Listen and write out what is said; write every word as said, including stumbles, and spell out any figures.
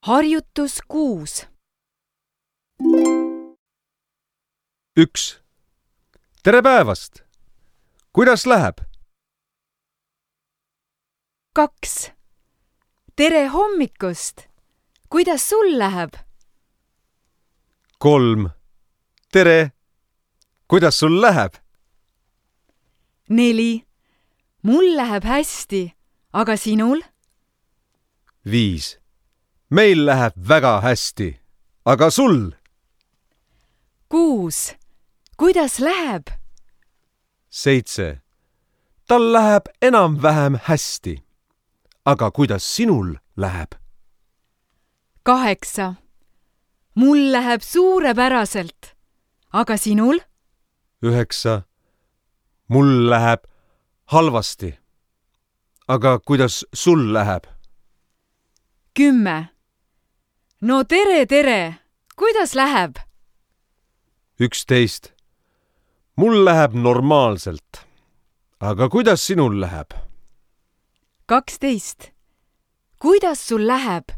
Harjutus kuus. üks. Tere päevast! Kuidas läheb? kaks. Tere hommikust! Kuidas sul läheb? kolm. Tere! Kuidas sul läheb? neli. Mul läheb hästi, aga sinul? viis. Meil läheb väga hästi, aga sul? kuus. Kuidas läheb? seitse. Tal läheb enam-vähem hästi, aga kuidas sinul läheb? kaheksa. Mul läheb suurepäraselt, aga sinul? üheksa. Mul läheb halvasti, aga kuidas sul läheb? kümme. No tere, tere! Kuidas läheb? üksteist. Mul läheb normaalselt, aga kuidas sinul läheb? kaksteist. Kuidas sul läheb?